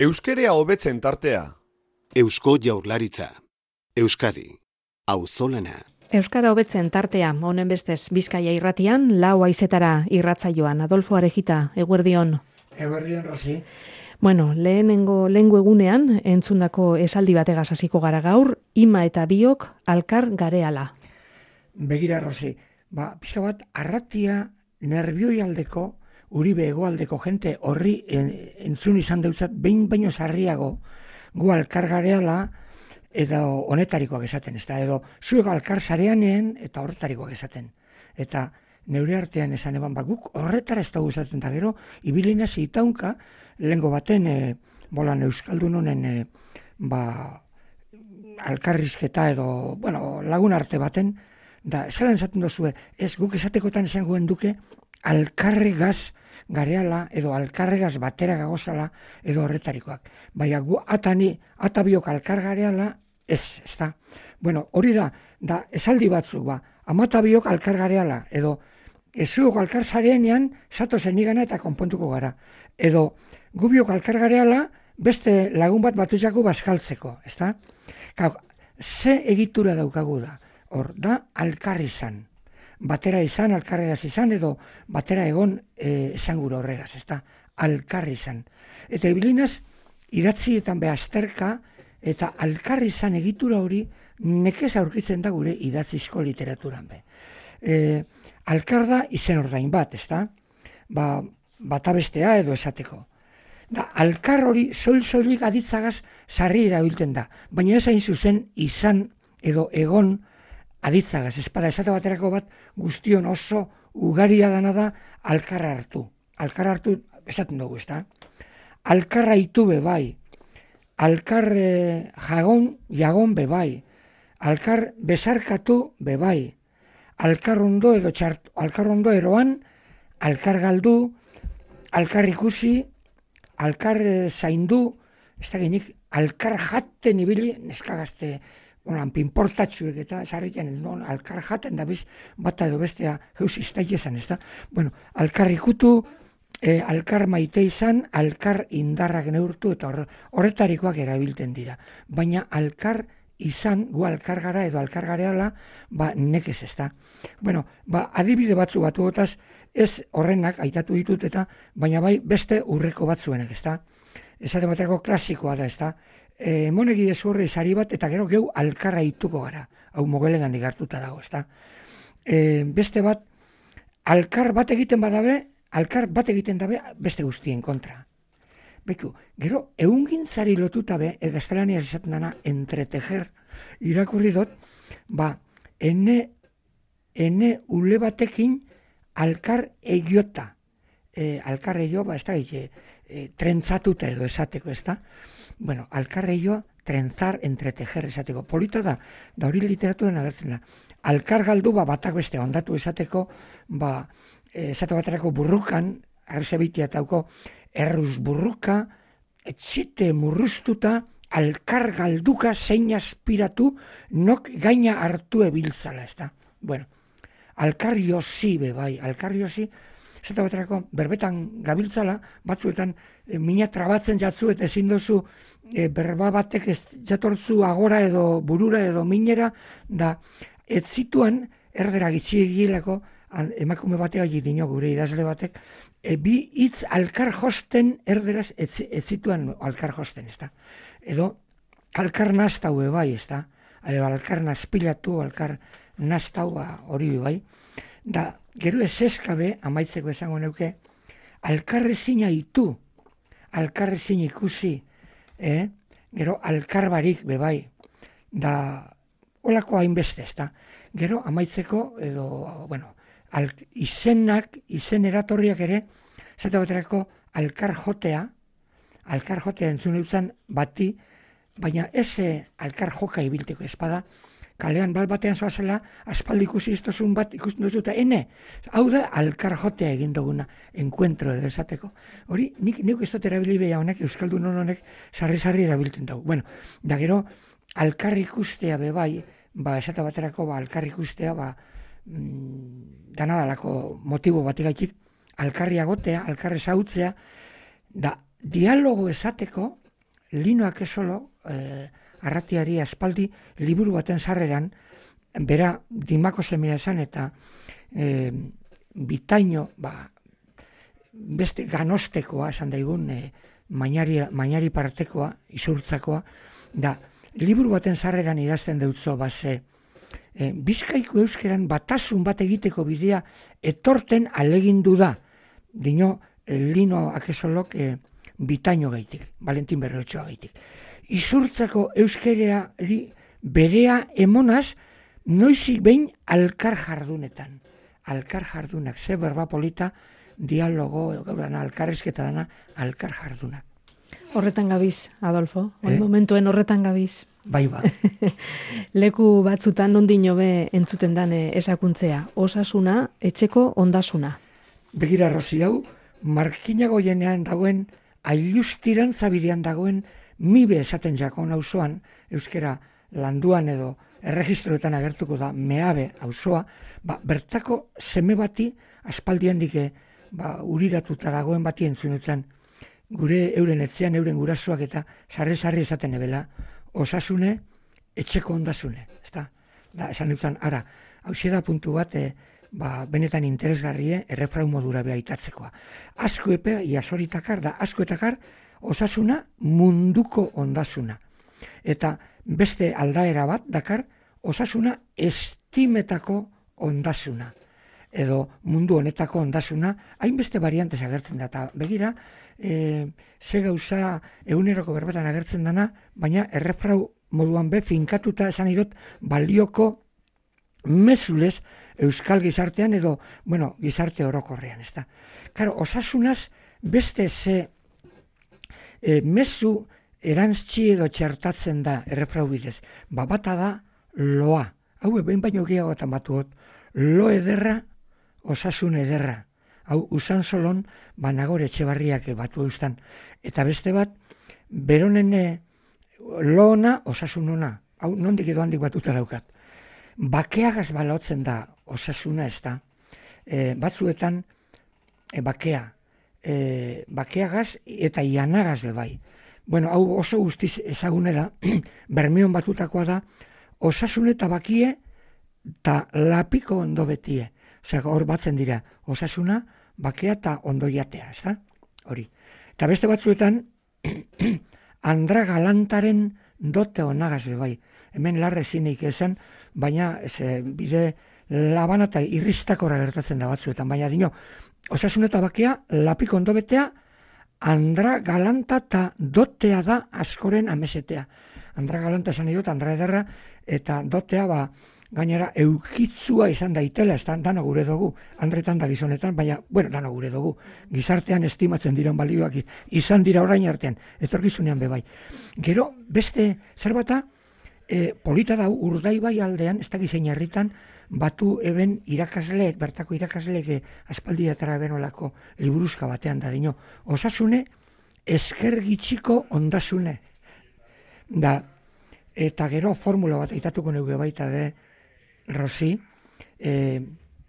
Euskerea hobetzen tartea. Eusko Jaurlaritza. Euskadi. Auzolana. Euskara hobetzen tartea, honen bestez Bizkaia irratian, lau haizetara irratsaioan. Adolfo Arejita, eguerdion. Eguerdion, Rosi. Bueno, lehengo egunean, entzundako esaldi bategaz hasiko gara gaur, ima eta biok alkar gareala. Begira, Rosi, pixka bat, arratia nerbioi aldeko, Uribe hegoaldeko jente horri entzun izan deutzat, behin baino sarriago gu alkar gareala, edo honetarikoak esaten, edo zuek alkar zareanean eta horretarikoak esaten. Eta neure artean esan eban, guk horretara ez dugu esaten, da gero, ibilina zitaunka, lehengo baten, bolan euskaldun honen, alkarrizketa edo, lagun arte baten, da, esalan esaten dozue, ez guk esatekotan esan guen duke, alkarregaz gareala, edo alkarregaz batera gagozala, edo horretarikoak. Baina gu atabiok alkar gareala, ez da. Bueno, hori da esaldi batzuk, amatabiok alkar gareala, edo ezuok alkar zarenean, zatozen igana eta konpontuko gara. Edo gubiok alkar gareala, beste lagun bat batuzako bazkaltzeko, ez da? Ze egitura daukagu da, hor da alkar izan. Batera izan, alkarregaz izan, edo batera egon esan gure horregaz, ez da, alkarri izan. Eta ibilinaz, idatzietan behazterka, eta alkarri izan egitura hori, nekez aurkitzen da gure idatzizko literaturan be. Alkar da izen ordain bat, ez da, batabestea edo esateko. Alkar hori soil-soilik aditzagaz sarri erabiltzen da, baina ez hain zuzen izan edo egon aditzagaz, espada esate baterako bat guztion oso ugaria dana da alkarra hartu. Alkarra hartu esaten dugu, ez da? Alkarra itu bebai, alkar jagon bebai, alkar besarkatu bebai, alkar ondo edo txartu, alkar ondo eroan, alkar galdu, alkar ikusi, alkar zaindu, ez da genik, alkar jaten ibili, neskagazte, pinportatxuek eta sarritzen, alkar jaten da biz, bata edo bestea heus iztaik esan, ez da? Bueno, alkar ikutu, alkar maite izan, alkar indarrak neurtu, eta horretarikoak erabiltzen dira. Baina alkar izan, gu alkar gara edo alkar gareala, nekez ez da. Bueno, adibide batzu batuotaz, ez horrenak aitatu ditut eta, baina bai beste urreko batzuenak, ez da? Esate baterako klasikoa da, ez da? Monegi ezurri sari bat, eta gero geu alkarra ituko gara. Hau mogelen handik hartuta dago, ez da? Beste bat, alkar bat egiten dabe, beste guztien kontra. Beku, gero, eungintzari lotuta be, gaztelaniaz esaten dana, entretejer, irakurri dut, ene ule batekin alkar egiota. Alkar egio, ez da, trentzatuta edo esateko, ez da? Bueno, alkarreio, trenzar, entretejer esateko. Polita da hori literaturan agertzen da. Alkar galdu batak beste ondatu esateko, esate baterako burrukan, arzebitia etauko, erruz burruka, etxite murruztuta, alkar galduka zein aspiratu, nok gaina hartu ebiltzala, ez da. Bueno, alkar josi bebai, alkar josi, esate baterako, berbetan gabiltzala, batzuetan mina trabatzen jatzu eta ezin dozu berba batek ez jatortzu agora edo burura edo minera, da ez zituan erdera gitxiegilako emakume batek dino gure idazle batek, bi hitz alkar josten erderaz ez zituan alkar josten, ez da. Edo alkar naztau bai, ez da. Alkar nazpilatu, alkar naztau hori bai. Da, gero ez eskabe, amaitzeko esango neuke, alkarrezina itu, alkarrezin ikusi, gero alkarbarik bebai, da, holako hainbeste, ez da. Gero amaitzeko, edo, izen eratorriak ere, zate baterako alkar jotea entzun eutzen bati, baina ez alkar joka ibilteko espada, kalean batean zoazela, aspaldi ikusi iztozun bat ikusten duzu eta hau da alkar jotea egin duguna, enkuentro edo esateko. Hori, nik ez dut erabili beha honek, euskaldun honek, sarri erabiltzen dugu. Bueno, da gero, alkar ikustea bebai, esate baterako, alkar ikustea, danadalako motibo bategaitik, alkarri agotea, alkarri zautzea, da dialogo esateko, Lino Akesolo, arratiari aspaldi liburu baten sarreran, bera Dimako semea esan eta bitaino, beste ganostekoa esan daigun, mainari partekoa, izurtzakoa, da liburu baten sarreran idazten deutzo base, Bizkaiko euskeran batasun bat egiteko bidea etorten alegindu da, dino Lino Akesolok bitaino gaitik, Valentin Berrotxoa gaitik. Izurtzako euskereari berea emonaz, noizik behin alkar jardunetan. Alkar jardunak, ze berba polita, dialogo, gaur dana, alkarrezketa dana, alkar jardunak. Horretan gabiz, Adolfo, momentuen horretan gabiz. Bai ba. Leku batzutan nondin hobe entzuten dan esakuntzea, osasuna, etxeko ondasuna. Begira, Rosi, hau, markinago jenean dagoen, ailustiran zabidean dagoen, mibe esaten jakon auzoan, euskera landuan edo erregistroetan agertuko da, meabe auzoa, bertako seme bati, aspaldian dike, uriratuta dagoen bati entzunetzen, gure euren etzean, euren gurasoak eta sarri esaten ebela, osasune, etxeko ondasune, ezta? Da, esan dutzen, ara, hauxe da puntu bat, benetan interesgarrie errefrau modura behaitatzeko. Asko epe, iasoritakar, da askoetakar, osasuna munduko ondasuna. Eta beste aldaera bat, dakar, osasuna estimetako ondasuna. Edo mundu honetako ondasuna, hainbeste variantez agertzen da. Eta begira, ze gauza eguneroko berbetan agertzen dana, baina errefrau moduan finkatuta esan idot balioko mezulez euskal gizartean edo, gizarte orokorrean, ez da. Karo, osasunaz beste ze mezu erantzki edo txertatzen da errefrau bidez. Bata da loa. Hau, behin baino gehiagotan batuot, lo ederra, osasun ederra. Hau, usan solon, Nagore Etxebarriak batu eustan. Eta beste bat, beronen lo ona, osasun ona. Hau, nondik edo handik batuta daukat. Bakeagaz balotzen da osasuna, ez da. Batzuetan, bakeagaz eta ianagaz bebai. Hau oso guztiz ezagune da, Bermeon batutakoa da, osasun eta bakie eta lapiko ondo betie. Osea, hor batzen dira, osasuna, bakea eta ondoiatea, ez da? Hori. Eta beste batzuetan, Andra Galantaren dote onagaz bebai. Hemen larre zineik esan, baina bide labana eta irristakora gertatzen da batzuetan. Baina dino, osasun eta bakea, lapiko ondo betea, Andra Galanta eta dotea da askoren amesetea. Andra Galanta esan idot, Andra Ederra, eta dotea gainera eukitzua izan daitela, ez dano gure dugu, Andretan da gizonetan, baina, dano gure dugu, gizartean estimatzen diren balioak izan dira orain artean, etorkizunean bebai. Gero, beste zerbata, polita da Urdaibai aldean, ez da gizein herritan, batu eben irakasleek, bertako irakasleek aspaldiatara benolako liburuzka batean da dino. Osasune, esker gitxiko ondasune. Da, eta gero formula bat aitatuko neuge baita de, Rosi,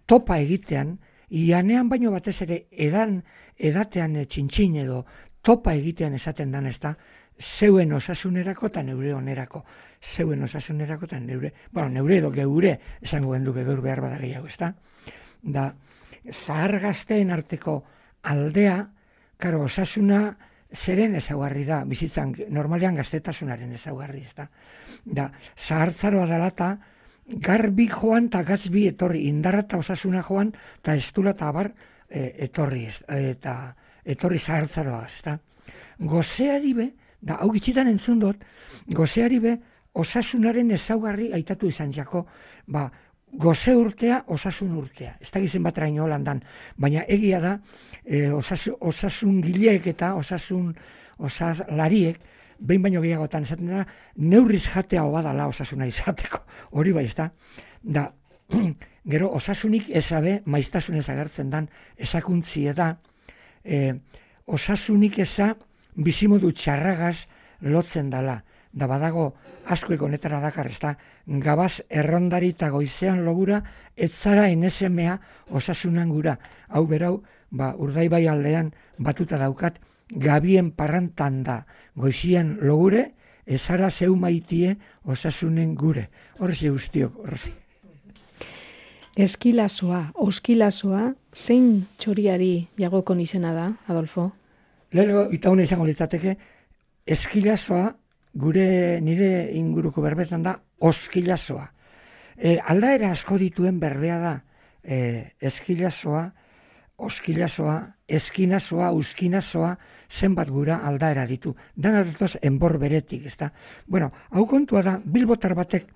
topa egitean, ianean baino batez ere edatean txintxin edo topa egitean esaten dan ez da, zeuen osasunerako eta neure onerako. Zeuen osasunerako eta neure, neure edo geure esango genduke gaur behar bada gehiago, ez da? Da, zahar gazteen arteko aldea, karo, osasuna zeren ezaugarri da, bizitzan normalean gaztetasunaren ezaugarri, ez da? Da, zahartzaroa dalata, garbi joan eta gazbi etorri, indarra eta osasuna joan, eta estula eta abar etorri, eta etorri zahartzaroa, ez da? Gozeari be, da, hau gitxitan entzun dut, gozeari be, osasunaren ezaugarri aitatu izan jako, goze urtea, osasun urtea. Ez da gizen bat raino holandan, baina egia da, osasun gileek eta osaslariek, behin baino gehiagotan esaten dira, neurriz jatea obadala osasuna izateko. Hori bai, ez da? Da, gero, osasunik ezabe, maiztasunez agertzen dan, esakuntzie da, osasunik eza, bizimodu txarragaz lotzen dala. Da badago, askoek honetara dakar, ez da, gabaz errondari eta goizean logura, ez zara enesemea osasunan gura. Hau berau, Urdaibai aldean batuta daukat, gabien parrantan da, goizian logure, ezara zeu maitie osasunen gure. Horrezi guztiok, horrezi. Eskilasoa, oskilasoa, zein txoriari jagokon izena da, Adolfo? Lehenengo, itaune izango litzateke, eskilasoa nire inguruko berbetan da oskilasoa. Aldaera asko dituen berbea da eskilasoa, oskilasoa, eskinasoa, uskinasoa, zenbat gura aldaera ditu. Dana datoz enbor beretik, ezta? Bueno, hau kontua da, bilbotar batek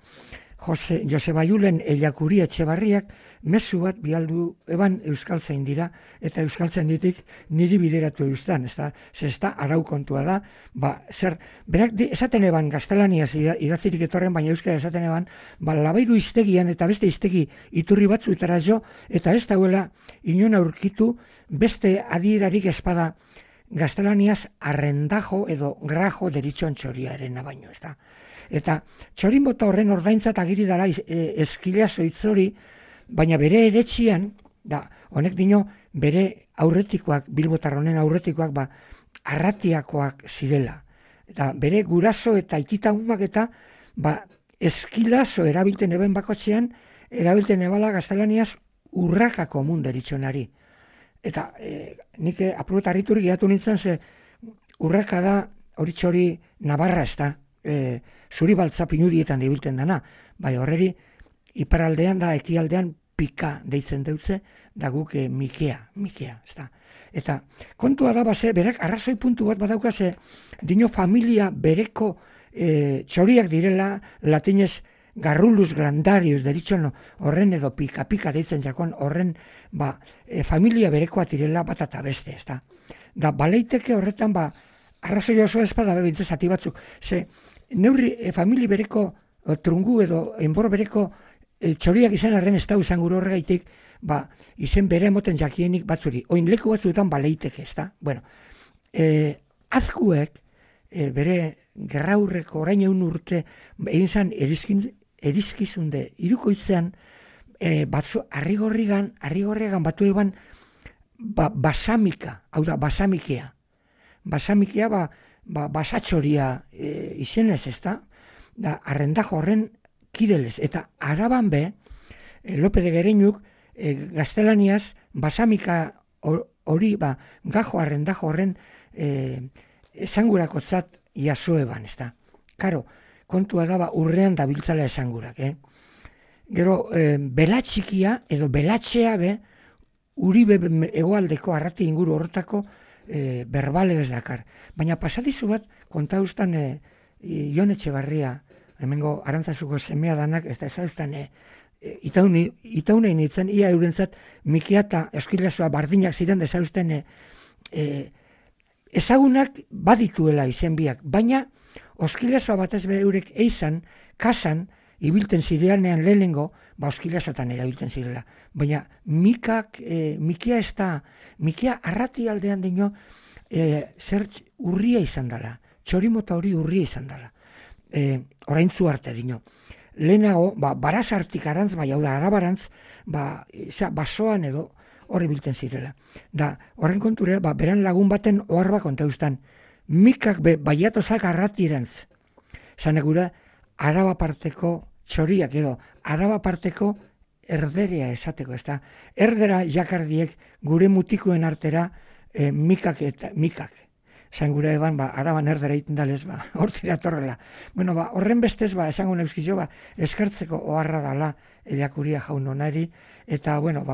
Joseba Julen Ellakuri Etxebarriak mezu bat bialdu eban euskaltzain dira, eta euskaltzain ditik niri bideratu eustan, ezta? Zesta arau kontua da, berak esaten eban gaztelaniaz idatzirik etorren, baina euskara esaten eban, labairu iztegian eta beste iztegi iturri batzuetara jo, eta ez dauela inon aurkitu beste adierarik espada gaztelaniaz arrendajo edo grajo deritxon txoriaren baino, ezta? Eta txorin bota horren ordaintzat agiri dara eskilaso hitzori, baina bere eretxian, honek dino bere aurretikoak, bilbotar honen aurretikoak, arratiakoak zirela. Eta bere guraso eta itita umak eta eskilaso erabilten eben bakotxean, erabilten ebala gaztelaniaz urraka komun deritxonari. Eta nik apurat harriturik gehiatu nintzen, ze urraka da hori txori Navarra ez da, zuri baltza pinudietan dibilten dana, bai horreri iparaldean da ekialdean pika deitzen deutze, da guk mikea, ez da. Eta kontua da berak arrazoi puntu bat badaukaze, dino familia bereko txoriak direla, latinez garrulus glandarius deritxon horren edo pika deitzen jakon horren familia berekoa direla bat eta beste, ez da. Da baleiteke horretan arrazoi oso espada bebintze zati batzuk, ze neurri famili bereko trungu edo enbor bereko txoriak izan arren ez da usan gure horregaitik, izen bere emoten jakienik batzuri. Oin leku batzuetan baleiteke, ez da? Bueno, azkuek bere gerraurreko orain egun urte egin zan erizkizunde irukoitzean arrigorrigan batu eban basamika, hau da, basamikea. Basamikea basatxoria izenez, ez da? Da, arrendajo horren kidelez. Eta araban be, Lope de Gereñuk gaztelaniaz basamika hori, gajo arrendajo horren esangurakotzat jasoeban, ez da? Karo, kontua da urrean da biltzala esangurak, Gero, belatxikia edo belatxea be, Uribe egoaldeko arrati inguru horretako berbale ez dakar. Baina pasadizu bat, konta ustan Jon Etxebarria, hemengo Arantzazuko semea danak, ez da ezauztan itaunein itzen, ia eurentzat mikia eta eskilasoa bardinak ziren dezauzten ezagunak badituela izen biak, baina oskilasoa batez be eurek eizan, kasan, ibilten zireanean lehenengo, oskilasotan erabilten zirela. Baina mikia ez da, mikia arrati aldean dino, zer urria izan dela, txorimota hori urria izan dela. Oraintzu arte dino. Lehenago, barazartik arantz, hau da, arabarantz, basoan edo horri bilten zirela. Da, horren konture, beran lagun baten oharba kontauztan, mikak baiatozak arratirantz. Zanegura, Araba parteko txoriak edo, Araba parteko erderea esateko, ez da. Erdera jakardiek gure mutikoen artera mikak. Zangura eban, Araban erdera iten dalez, hortzi datorrela. Bueno, horren bestez, esango neuskizo, eskertzeko oharra dala Ellakuri jaun onari, eta, bueno,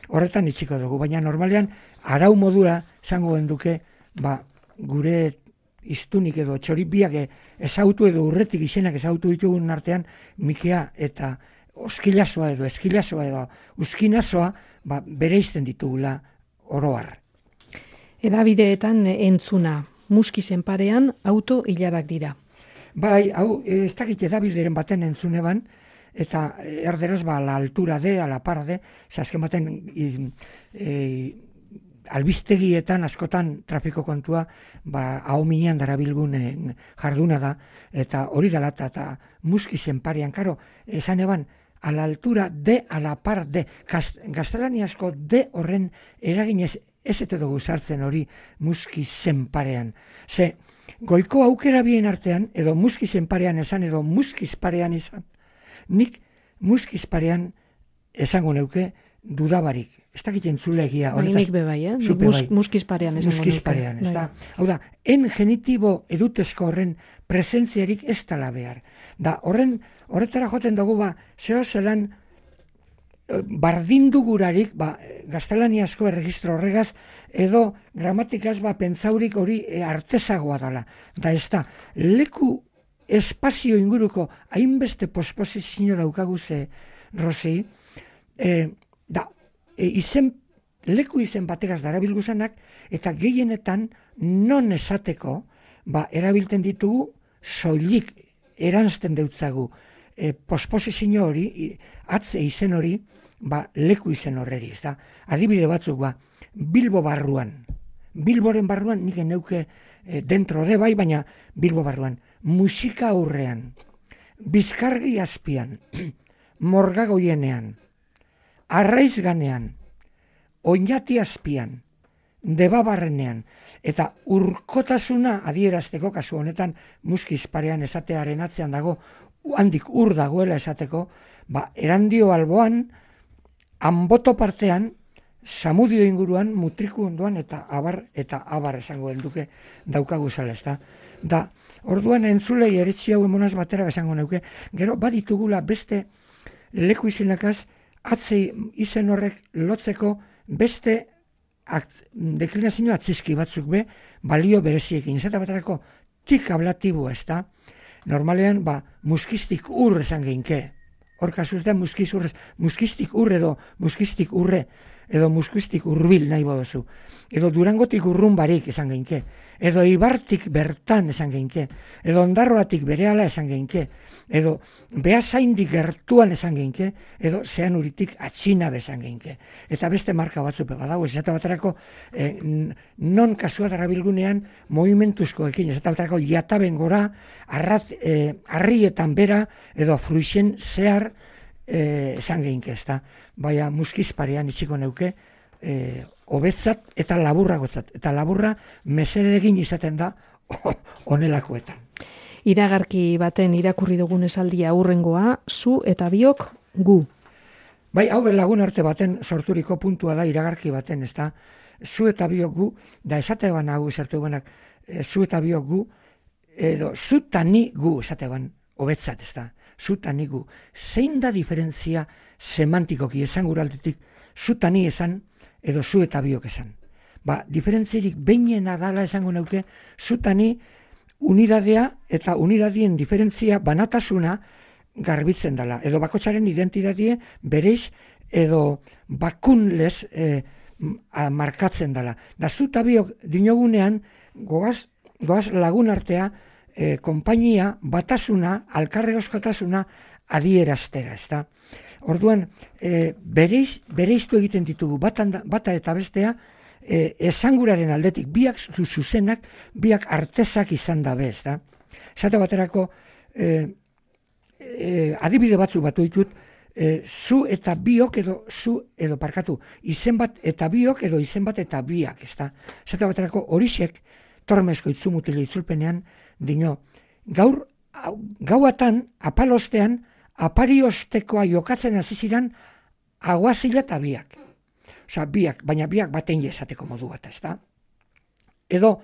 horretan itxiko dugu. Baina normalean, arau modura, zango genduke, gure iztunik edo txoribiak ezautu edo urretik izenak ezautu ditugun artean, mikea eta oskilasoa edo eskilasoa edo uskinasoa bere izten ditugula oroar. Edabideetan entzuna, muskizen parean auto hilarak dira. Bai, hau, ez dakit edabideren baten entzuneban, eta erderaz la altura de, a la para de, azken baten albistegietan askotan trafiko kontua ahominean darabilgun jarduna da, eta hori dela eta muskizen parean, karo, esan eban, a la altura de, a la par de, gaztelaniazko de horren eraginez ez ete dugu sartzen hori muskizen parean. Ze, goiko aukera bien artean, edo muskizen parean esan, edo muskiz parean esan, nik muskiz parean esango neuke dudabarik. Ez dakit entzulegia. Nik bebai, muskiz parean esango neuke. Muskiz parean, ez da. Hau da, en genitibo edutezko horren presentziarik ez tala behar. Da, horretara joten dugu, zeo zelan bardindugurarik, gaztelaniazko erregistro horregaz, edo gramatikaz pentsaurik hori artezagoa dela. Da, ez da, leku espazio inguruko hainbeste posposizio daukagu ze, Rosi, leku izen bategaz darabilguzanak, eta gehienetan non esateko, erabilten ditugu soilik eranzten deutzagu posposizio hori, atze izen hori, leku izen horreri, ez da. Adibide batzuk, Bilbo barruan. Bilboren barruan nik neuke dentro de baina Bilbo barruan. Musika aurrean, Bizkargi azpian, Morgagoienean, Arraizganean, Oñati azpian, Debabarrenean, eta urkotasuna adierazteko, kasu honetan muskiz parean esatearen atzean dago, handik ur dagoela esateko, Erandio alboan, Anboto partean, Samudio inguruan, Mutriku ondoan, eta abar esango duke daukagu zela, ez da. Da, orduan entzulei eretzi hau emonaz batera esango neuke, gero baditugula beste leku izenakaz, atzei izen horrek lotzeko beste deklinazio atzizki batzuk balio bereziekin. Zeta baterako tik ablatiboa, ez da. Normalean, muskistik ur esan geinke. Hor kasuz da muskistik ur edo muskistik urre, edo muskistik urbil nahi bodozu. Edo Durangotik urrun barik esan geinke. Edo Ibartik bertan esan geinke. Edo Ondarroatik berehala esan geinke. Edo Beasaindik gertuan esan geinke. Edo Zeanuritik atxina esan geinke. Eta beste marka batzupe badago. Ez eta baterako non kasua darabilgunean movimentuzkoekin. Ez eta baterako jataben gora, harrietan bera, edo fruixen zehar esan geinke, ez da. Baina muskiz parean itxiko neuke, hobetzat eta laburragotzat. Eta laburra mesedegin izaten da onelakoetan. Iragarki baten irakurri dugun esaldia hurrengoa, zu eta biok gu. Bai, hau lagun arte baten sorturiko puntua da iragarki baten, ez da. Zu eta biok gu, da esate ban hau esartu benak, zu eta biok gu, edo zu eta ni gu esate ban hobetzat, ez da. Zu eta ni gu. Zein da diferentzia semantikoki esan guraldetik, zu eta ni esan, edo zu eta biok esan. Diferentzirik behinena dala esango neuke, zu eta ni unidadea eta unidadien diferentzia banatasuna garbitzen dela. Edo bakotsaren identidadie bereiz edo bakunlez markatzen dela. Da zu eta biok dinogunean goaz lagun artea konpainia, batasuna, alkarregoskotasuna adieraztera, ez da. Orduan, bereiztu egiten ditugu, bata eta bestea, esanguraren aldetik, biak zuzenak, biak artezak izan dabe, ez da. Zate baterako, adibide batzu batu ditut, zu eta biok edo parkatu, izen bat eta biok edo izen bat eta biak, ez da. Zate baterako, horixek, tormezko itzumutile itzulpenean, dino, gauatan, apalostean, apariostekoa jokatzen hasi ziren aguazila eta biak. Osa, biak, baina biak batein esateko modu bat, ez da. Edo,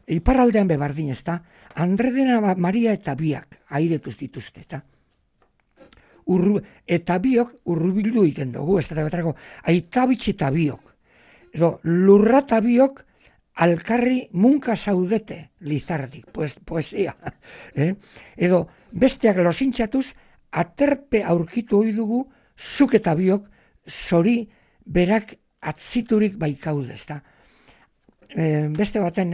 iparraldean bebardin, ez da, Andredena Maria eta biak airetuz dituzte, eta. Eta biok urrubildu egiten dugu, ez da, aitabitzi eta biok. Edo, lurra eta biok alkarri munka zaudete Lizardik, poesia. Edo, besteak losintxatuz, aterpe aurkitu hoi dugu, zuk eta biok, zori berak atziturik baikaude, ez da. Beste baten,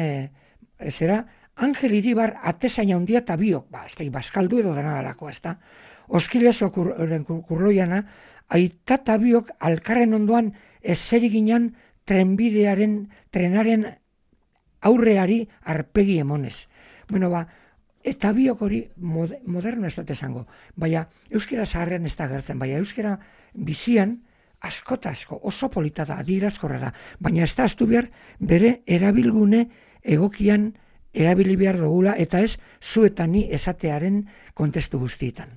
zera, Angel Iribar atezain handia eta biok, ez da, baskaldu edo denadalako, ez da. Oskilezo kurloiana, aita eta biok alkarren ondoan ezeriginan trenaren aurreari arpegi emonez. Bueno, eta biok hori moderno ez dut esango. Baina euskera zaharrean ez da gertzen, baina euskera bizian asko oso polita da, adierazkorra da. Baina ez da astu behar bere erabilgune egokian erabili behar dugula eta ez zu eta ni esatearen kontestu guztietan.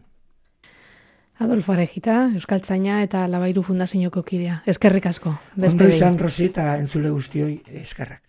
Adolfo Arejita, Euskaltzaina eta Labairu Fundazioko kidea. Eskerrik asko. Ondo izan, Rosi, eta entzule guztioi eskerrak.